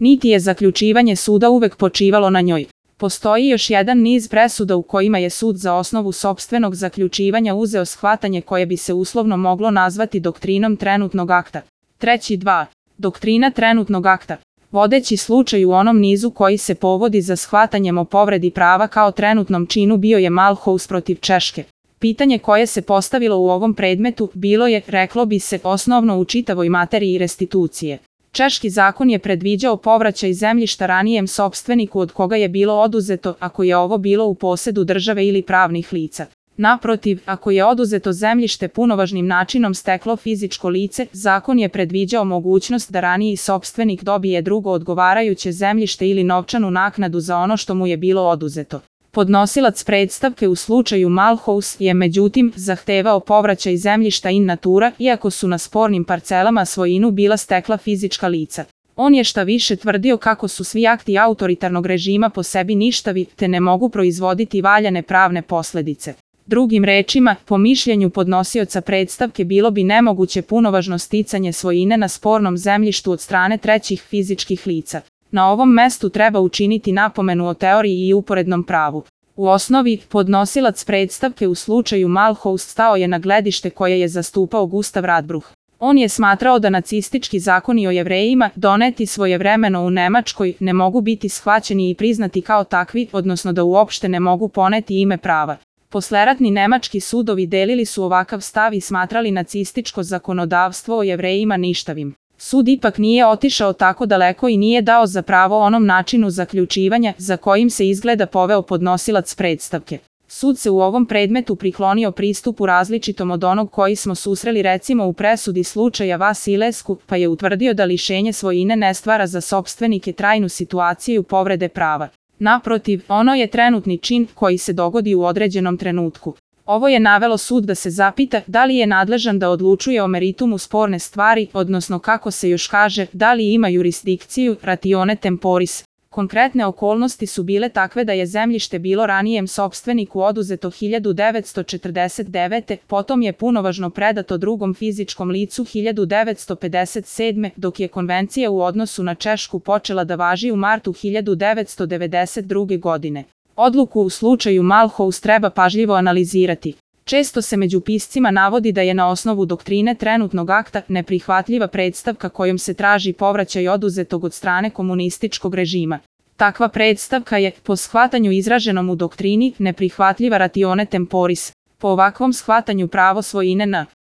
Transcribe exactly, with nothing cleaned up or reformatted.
niti je zaključivanje suda uvek počivalo na njoj. Postoji još jedan niz presuda u kojima je sud za osnovu sopstvenog zaključivanja uzeo shvatanje koje bi se uslovno moglo nazvati doktrinom trenutnog akta. Treći dva. Doktrina trenutnog akta. Vodeći slučaj u onom nizu koji se povodi za shvatanjem o povredi prava kao trenutnom činu bio je Malhouse protiv Češke. Pitanje koje se postavilo u ovom predmetu bilo je, reklo bi se, osnovno u čitavoj materiji restitucije. Češki zakon je predviđao povraćaj zemljišta ranijem sopstveniku od koga je bilo oduzeto ako je ovo bilo u posedu države ili pravnih lica. Naprotiv, ako je oduzeto zemljište punovažnim načinom steklo fizičko lice, zakon je predviđao mogućnost da raniji sopstvenik dobije drugo odgovarajuće zemljište ili novčanu naknadu za ono što mu je bilo oduzeto. Podnosilac predstavke u slučaju Malhouse je međutim zahtevao povraćaj zemljišta in natura, iako su na spornim parcelama svojinu bila stekla fizička lica. On je šta više tvrdio kako su svi akti autoritarnog režima po sebi ništavi, te ne mogu proizvoditi valjane pravne posledice. Drugim rečima, po mišljenju podnosioca predstavke bilo bi nemoguće punovažno sticanje svojine na spornom zemljištu od strane trećih fizičkih lica. Na ovom mestu treba učiniti napomenu o teoriji i uporednom pravu. U osnovi, podnosilac predstavke u slučaju Malhouse stao je na gledište koje je zastupao Gustav Radbruch. On je smatrao da nacistički zakoni o Jevrejima, doneti svojevremeno u Nemačkoj, ne mogu biti shvaćeni i priznati kao takvi, odnosno da uopšte ne mogu poneti ime prava. Posleratni nemački sudovi delili su ovakav stav i smatrali nacističko zakonodavstvo o Jevrejima ništavim. Sud ipak nije otišao tako daleko i nije dao za pravo onom načinu zaključivanja za kojim se izgleda poveo podnosilac predstavke. Sud se u ovom predmetu priklonio pristupu različitom od onog koji smo susreli recimo u presudi slučaja Vasilescu, pa je utvrdio da lišenje svojine ne stvara za sopstvenike trajnu situaciju povrede prava. Naprotiv, ono je trenutni čin koji se dogodi u određenom trenutku. Ovo je navelo sud da se zapita da li je nadležan da odlučuje o meritumu sporne stvari, odnosno kako se još kaže, da li ima jurisdikciju, ratione temporis. Konkretne okolnosti su bile takve da je zemljište bilo ranijem sopstveniku oduzeto hiljadu devetsto četrdeset devete. Potom je punovažno predato drugom fizičkom licu hiljadu devetsto pedeset sedme. dok je konvencija u odnosu na Češku počela da važi u martu hiljadu devetsto devedeset druge. godine. Odluku u slučaju Malhouse treba pažljivo analizirati. Često se među piscima navodi da je na osnovu doktrine trenutnog akta neprihvatljiva predstavka kojom se traži povraćaj oduzetog od strane komunističkog režima. Takva predstavka je, po shvatanju izraženom u doktrini, neprihvatljiva ratione temporis. Po ovakvom shvatanju pravo svojine na